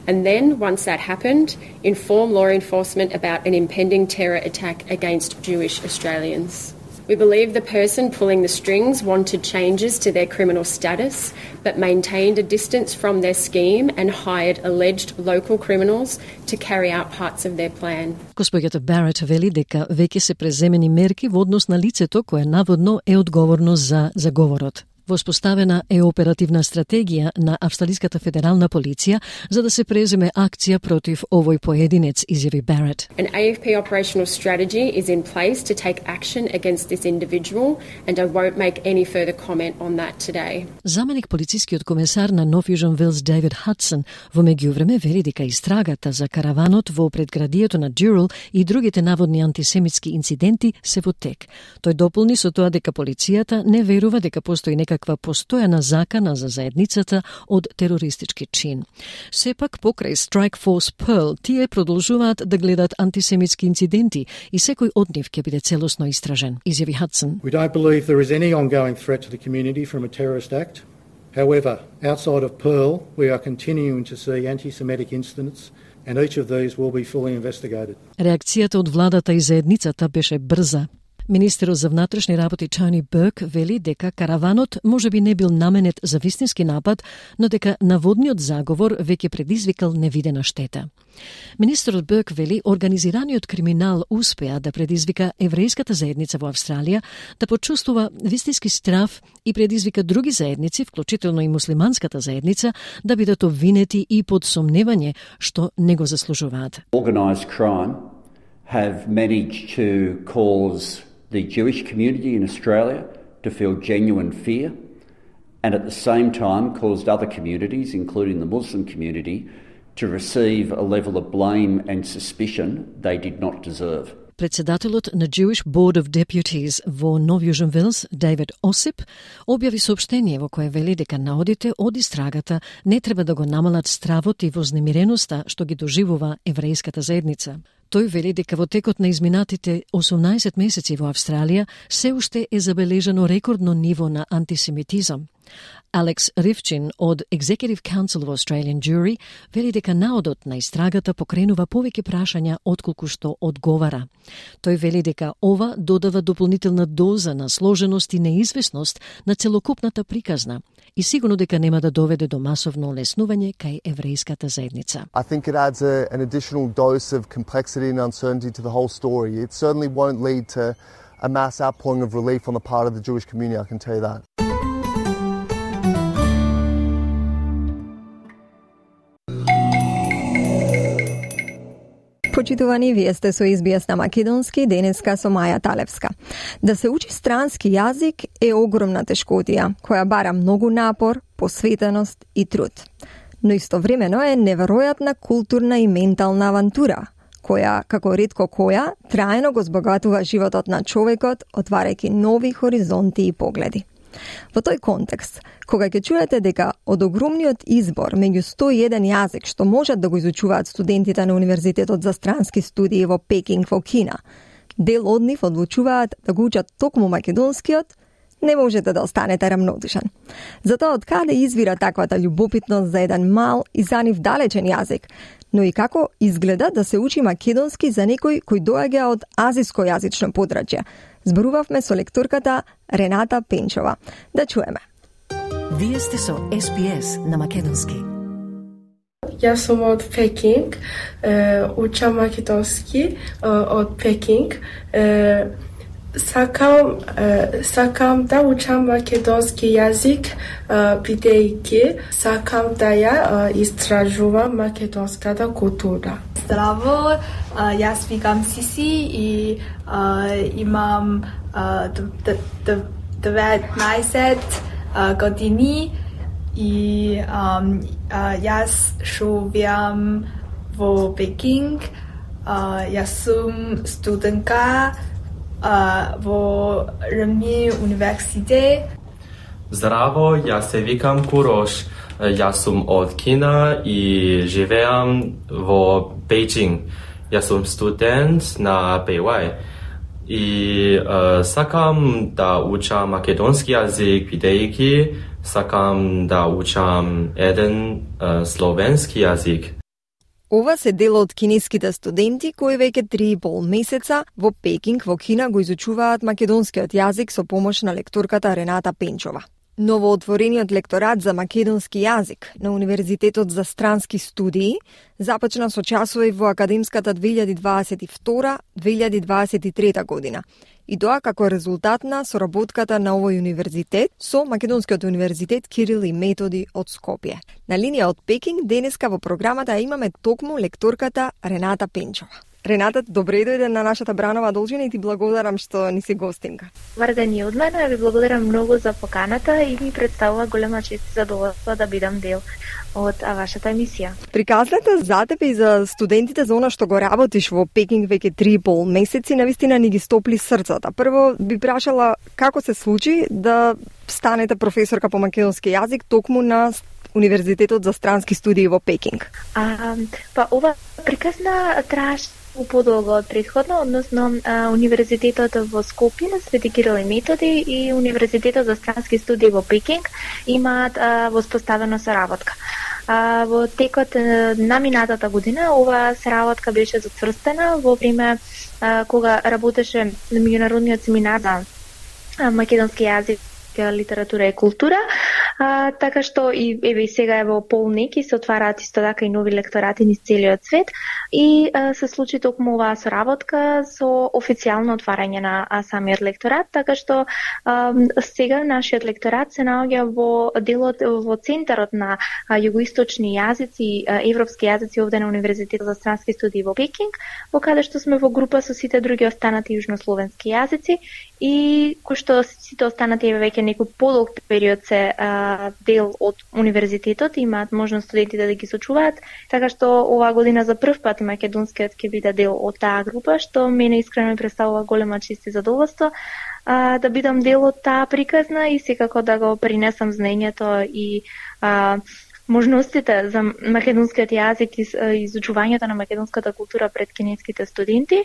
and then, once that happened, inform law enforcement about an impending terror attack against Jewish Australians. We believe the person pulling the strings wanted changes to their criminal status, but maintained a distance from their scheme and hired alleged local criminals to carry out parts of their plan. Госпоѓата Барет вели дека веќе се преземени мерки во однос на лицето кое наводно е одговорно за заговорот. Воспоставена е оперативна стратегија на Австралиската федерална полиција за да се преземе акција против овој поединец, изјави Барет. An A F P operational strategy is in place to take action against this individual and I won't make any further comment on that today. Заменик полицискиот комесар на Нов Јужен Велс Дейвид Хадсон во меѓувреме вели дека истрагата за караванот во предградието на Дюрал и другите наводни антисемитски инциденти се во тек. Тој дополни со тоа дека полицијата не верува дека постои некаква постојана закана за заедницата од терористички чин. Сепак, покрај Strike Force Pearl, тие продолжуваат да гледат антисемитски инциденти и секој од нив ќе биде целосно истражен, изјави Хадсон. We don't believe there is any ongoing threat to the community from a terrorist act. However, outside of Pearl, we are continuing to see anti-Semitic incidents and each of these will be fully investigated. Реакцијата од владата и заедницата беше брза. Министерот за внатрешни работи Тони Берк вели дека караванот можеби не бил наменет за вистински напад, но дека наводниот заговор веќе предизвикал невидена штета. Министерот Берк вели организираниот криминал успеа да предизвика еврејската заедница во Австралија да почувствува вистински страв и предизвика други заедници, вклучително и муслиманската заедница, да бидат обвинети и под сомневање што не го заслужуваат. Organised crime have managed to cause the Jewish community in Australia to feel genuine fear and at the same time caused other communities, including the Muslim community, to receive a level of blame and suspicion they did not deserve. Председателот на Jewish Board of Deputies во Нов Јужен Велс, Дейвид Осип, објави соопштение во кое вели дека наодите од истрагата не треба да го намалат стравот и вознемиреноста што ги доживува еврејската заедница. Тој вели дека во текот на изминатите осумнаесет месеци во Австралија се уште е забележано рекордно ниво на антисемитизам. Алекс Ривчин од Executive Council of Australian Jury вели дека наодот на истрагата покренува повеќе прашања отколку што одговара. Тој вели дека ова додава дополнителна доза на сложеност и неизвестност на целокупната приказна и сигурно дека нема да доведе до масовно олеснување кај еврејската заедница. I think it adds a, an additional dose of complexity and uncertainty to the whole story. It certainly won't lead to a mass outpouring of relief on the part of the Jewish community, I can tell you that. Почитувани, вие сте со Ес Би Ес на македонски, денеска со Маја Талевска. Да се учи странски јазик е огромна тешкотија, која бара многу напор, посветеност и труд. Но истовремено е неверојатна културна и ментална авантура, која, како ретко која, трајно го збогатува животот на човекот, отварајќи нови хоризонти и погледи. Во тој контекст, кога ќе чуете дека од огромниот избор меѓу сто и еден јазик што можат да го изучуваат студентите на Универзитетот за странски студии во Пекинг во Кина, дел од нив одлучуваат да го учат токму македонскиот, не можете да останете рамнодушен. Затоа од каде извира таквата љубопитност за еден мал и за нив далечен јазик, но и како изгледа да се учи македонски за некој кој доаѓа од азиско јазично подрачје. Зборувавме со лекторката Рената Пенчова. Да чуеме. Вие сте со Ес Би Ес на македонски. Јас сум од Пекинг, учам македонски од Пекинг. Сакам, е, сакам да учам македонски јазик, бидејќи сакам да ја истражувам македонската култура. Здраво, јас викам Сиси и имам деветнаесет години и јас живеам во Пекинг. Јас сум студентка во Рми университет. Здраво, јас се викам Курош. Јас сум од Кина и живеам во Бејџинг. Јас сум студент на Бејуај. И uh, сакам да учам македонски јазик, бидејќи сакам да учам еден uh, словенски јазик. Ова се дел од кинеските студенти кои веќе три и пол месеца во Пекинг во Кина го изучуваат македонскиот јазик со помош на лекторката Рената Пенчова. Новоотворениот лекторат за македонски јазик на Универзитетот за странски студии започна со часови во академската две илјади дваесет и втора - две илјади дваесет и трета година. И тоа како резултат на соработката на овој универзитет со Македонскиот универзитет Кирил и Методи од Скопје. На линија од Пекинг денеска во програмата имаме токму лекторката Рената Пенчова. Рената, добре дојде на нашата Бранова должина и ти благодарам што ни си гостинка. Добар ден и од мене, ви благодарам многу за поканата и ми представува голема чест и задоволство да бидам дел од вашата емисија. Приказната за тебе и за студентите за она што го работиш во Пекинг веќе три и пол месеци, навистина ни ги стопли срцата. Прво би прашала како се случи да станете професорка по македонски јазик токму на Универзитетот за странски студии во Пекинг. А, па ова приказна траеше подолго од претходно, односно а, Универзитетот во Скопје на Свети Кирил и Методи и Универзитетот за странски студии во Пекинг имаат а, воспоставена соработка. А, во текот на минатата година ова соработка беше затврстена во време а, кога работеше на меѓународниот семинар за македонски јазик, литература и култура, а, така што и еве сега е во полник и се отвараат исто така и нови лекторати низ целиот свет и а, се случи токму оваа соработка со официјално отварање на а, самиот лекторат, така што а, сега нашиот лекторат се наоѓа во делот во центарот на а, југоисточни јазици, а, европски јазици овде на Универзитетот за странски студии во Пекинг, во каде што сме во група со сите други останати јужнословенски јазици и кои што сите останати еве веќе некој подолг период се а, дел од универзитетот, имаат можност студентите да ги сочуваат, така што оваа година за прв пат македонскиот ќе биде дел од таа група, што мене искрено ми представува голема чест и задоволство а, да бидам дел од таа приказна и секако да го принесам знаењето и а, можностите за македонскиот јазик и изучувањето на македонската култура пред кинеските студенти.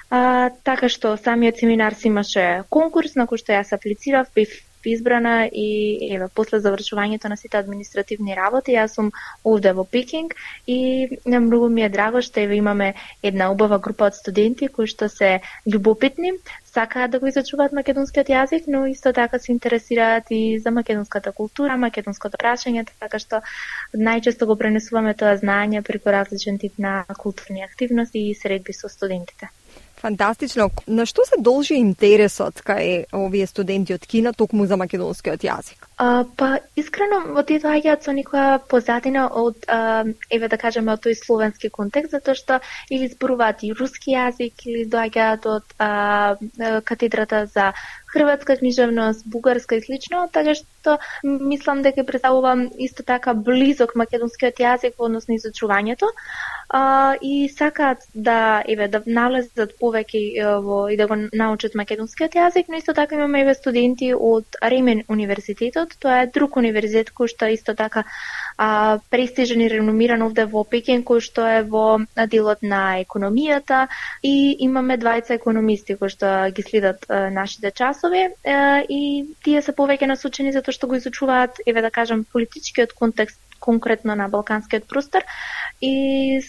А, така што самиот семинар си имаше конкурс на кој што јас аплицирав, бев избрана и еве после завршувањето на сите административни работи јас сум овде во Пекинг и многу ми е драго што еве имаме една убава група од студенти кои што се љубопитни, сакаат да го изучуваат македонскиот јазик, но исто така се интересираат и за македонската култура, македонското прашање, така што најчесто го пренесуваме тоа знаење преку различен тип на културни активности и средби со студентите. Фантастично. На што се должи интересот кај овие студенти од Кина токму за македонскиот јазик? А, па, искрено, во тие доаѓаат со некоја позадина од, а, еве да кажеме, од тој словенски контекст, затоа што или зборуваат и руски јазик, или доаѓаат од а, катедрата за хрватска книжевност, бугарска и слично, така што мислам дека представувам исто така близок македонскиот јазик во однос на изучувањето. Uh, и сакаат да еве да навлезат повеќе во и да го научат македонскиот јазик, но исто така имаме еве студенти од Ремен универзитетот. Тоа е друг универзитет кој што исто така а, престижен и реномиран овде во Пекинг, кој што е во делот на економијата и имаме двајца економисти кои што ги следат а, нашите часови а, и тие се повеќе насочени затоа што го изучуваат еве да кажам политичкиот контекст конкретно на балканскиот простор и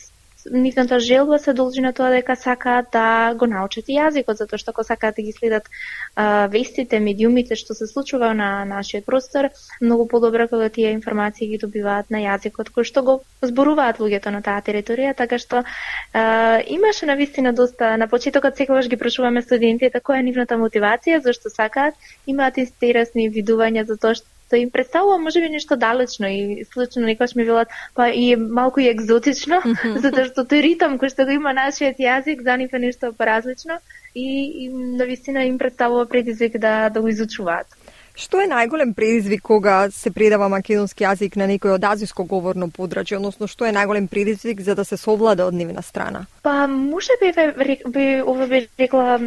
нивната желба се должи на тоа дека сакаат да го научат и јазикот, затоа што ако сакаат да ги следат а, вестите, медиумите што се случува на нашиот простор, многу подобро кога тие информации ги добиваат на јазикот кој што го зборуваат луѓето на таа територија, така што а, имаше навистина доста на почетокот секогаш ги прашуваме студентите која е нивната мотивација, зашто сакаат, имаат интересни видувања за тоа што им представува можеби нешто далечно и случно некојаш ми велат па и малку и екзотично, затоа што тој ритам кој што го има нашиот јазик за нив е нешто поразлично и, и навистина им представува предизвик да да го изучуваат. Што е најголем предизвик кога се предава македонски јазик на некој од азиско говорно подрачје, односно што е најголем предизвик за да се совлада од нивна страна? Па можеби би, би ова би рекла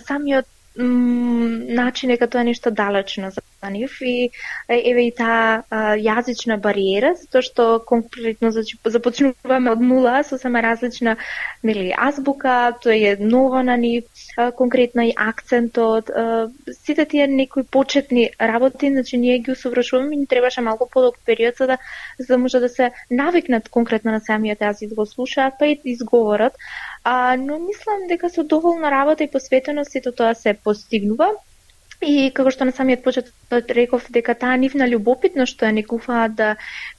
самиот начин дека тоа е нешто далечно за нив и еве и таа јазична бариера, затоа што конкретно започнуваме од нула со сама различна, нели, азбука, тоа е ново на нив, конкретно и акцентот, сите тие некои почетни работи, значи ние ги усовршуваме и ни требаше малку подолг период за да за да може да се навикнат конкретно на самиот јазик да го слушаат, па и изговорат. А, но мислам дека со доволна работа и посветеност сето тоа се постигнува. И како што на самиот почеток реков дека таа нивна љубопитност што ја некуваат да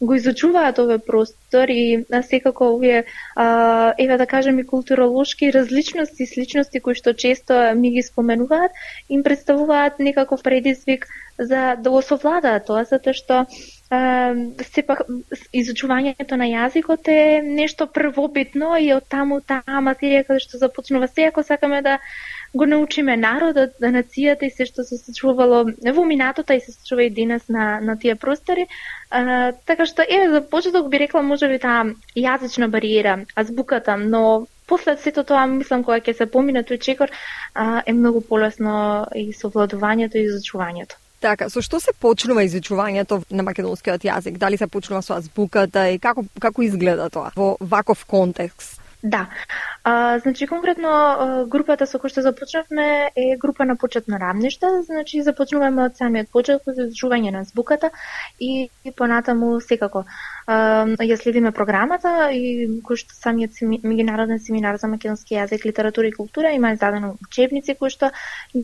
го изучуваат овој простор и секако овие а, еве да кажем и културолошки различности и сличности кои што често ми ги споменуваат, им представуваат некаков предизвик за да го совладаат тоа, затоа што сепак изучувањето на јазикот е нешто првобитно и од таму таа материја каде што започнува се, ако сакаме да го научиме народот, да нацијата и се што се случувало во минатото и се случува и денес на на тие простори. А, така што еве за почеток би рекла можеби таа јазична бариера, азбуката, но после сето тоа мислам кога ќе се помине тој чекор а, е многу полесно и совладувањето и изучувањето. Така, со што се почнува изучувањето на македонскиот јазик? Дали се почнува со азбуката и како како изгледа тоа во ваков контекст? Да. А, значи конкретно групата со која што започнавме е група на почетно рамниште, значи започнуваме од самиот почеток за изучување на азбуката и, и понатаму секако а, ја следиме програмата и кој што самиот меѓународен семинар за македонски јазик, литература и култура има издадено учебници кои што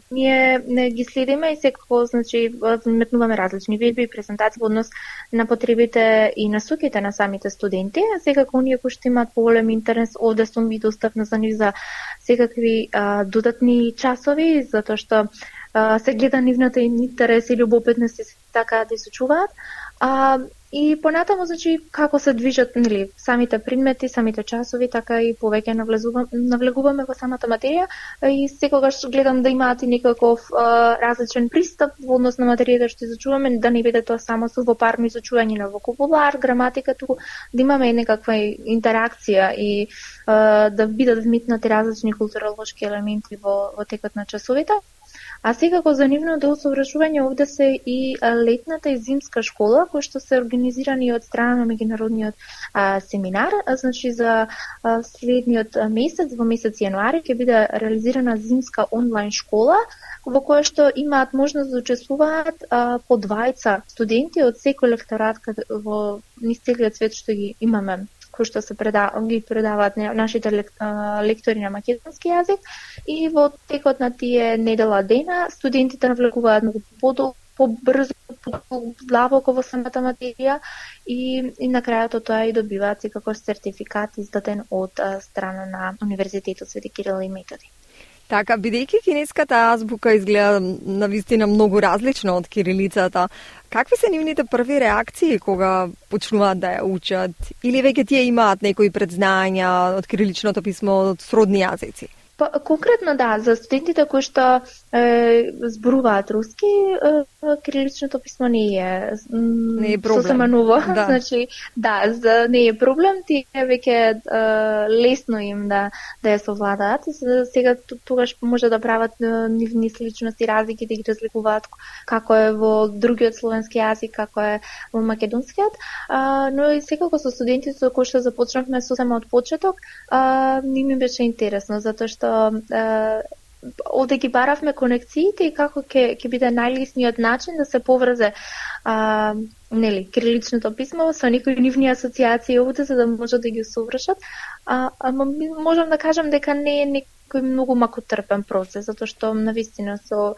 ние ги следиме и секако значи метнуваме различни видби и презентации во однос на потребите и насоките на самите студенти, секако оние кои што имаат поголем интерес овде сум и достапна за нив за секакви а, додатни часови, затоа што а, се гледа нивната интерес и љубопитност и така да изучуваат. А, и понатаму, значи, како се движат нели, самите предмети, самите часови, така и повеќе навлегуваме во самата материја и секогаш гледам да имаат и некаков а, различен пристап во однос на материјата што изучуваме, да не биде тоа само сувопарно изучување на вокабулар, граматика, туку да имаме и некаква интеракција и а, да бидат вмитнати различни културолошки елементи во, во текот на часовите. А секако за нивното усовршување овде се и летната и зимска школа, кои што се организирани од страна на меѓународниот а, семинар. А, значи за а, следниот месец, во месец јануари, ќе биде реализирана зимска онлайн школа, во која што имаат можност да учествуваат а, по двајца студенти од секој лекторат во низ целиот свет што ги имаме, кои што се преда, ги предаваат нашите лек, а, лектори на македонски јазик и во текот на тие недела дена студентите навлегуваат многу побрзо, подлабоко во самата материја и, и на крајот од тоа и добиваат како сертификат издаден од а, страна на Универзитетот Свети Кирил и Методи. Така, бидејќи кинеската азбука изгледа навистина многу различна од кирилицата, какви се нивните први реакции кога почнуваат да ја учат? Или веќе тие имаат некои предзнања од кириличното писмо од сродни јазици? Па, конкретно да, за студентите кои што е, зборуваат руски, е, кириличното писмо не е, не е проблем. Сосема ново, да. Значи, да, за, не е проблем, тие веќе е, лесно им да да ја совладаат. Сега тогаш може да прават нивни сличности, разлики, да ги разликуваат како е во другиот словенски јазик, како е во македонскиот, а, но и секако со студентите со кои што започнавме сосема од почеток, а, не ми беше интересно, затоа што овде ги баравме конекциите и како ќе ќе биде најлесниот начин да се поврзе а, нели кириличното писмо со некои нивни асоциации овде за да може да ги усовршат. а, а можам да кажам дека не е некој многу макотрпен процес, затоа што навистина со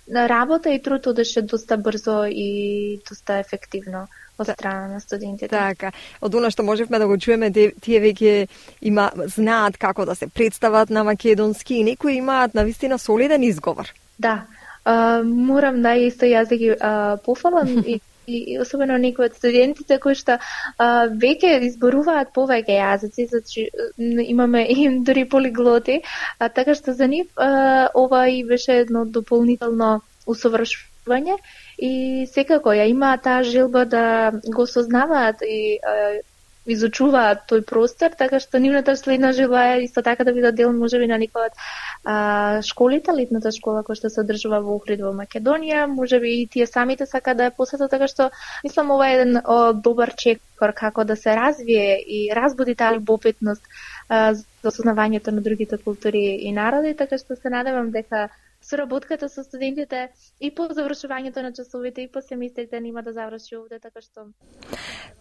работа и труд одеше доста брзо и доста ефективно од страна на студентите. Така, од она што можевме да го чуеме, тие веќе има знаат како да се представат на македонски и некои имаат навистина солиден изговор. Да, а, морам да исто јас да ги а, пофалам и и особено некои од студентите кои што а, веќе изборуваат повеќе јазици, значи имаме и дури полиглоти, а, така што за нив а, ова и беше едно дополнително усовршување и секако ја имаат таа желба да го сознаваат и а, изучуваат тој простор, така што нивната следна желба е исто така да бидат дел можеби на некоја од а, школите, летната школа која што се одржува во Охрид во Македонија, можеби и тие самите сака да ја посетат, така што мислам ова е еден о, добар чекор како да се развие и разбуди таа любопитност а, за сознавањето на другите култури и народи, така што се надевам дека соработката со студентите и по завршувањето на часовите и по семистрите нема да заврши овде, така што...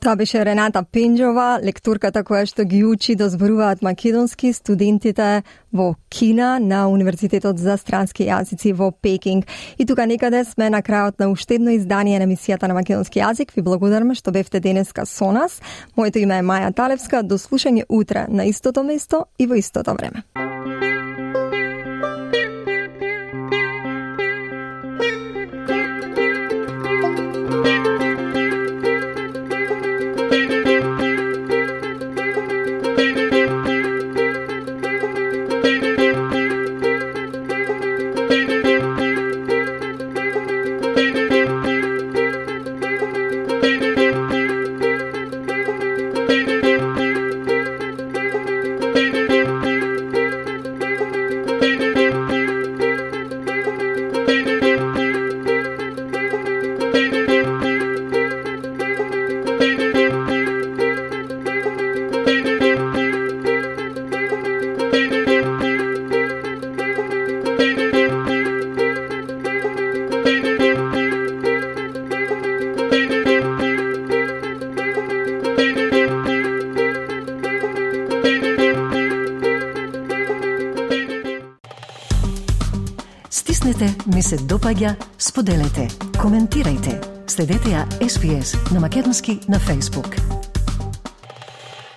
Тоа беше Рената Пенџова, лекторката која што ги учи да зборуваат македонски студентите во Кина на Универзитетот за странски јазици во Пекинг. И тука некаде сме на крајот на уште едно издание на емисијата на македонски јазик. Ви благодараме што бевте денеска со нас. Моето име е Маја Талевска. До слушање утре на истото место и во истото време. Стиснете, ми се допаѓа, споделете, коментирајте. Следете ја Ес Би Ес на македонски на Facebook.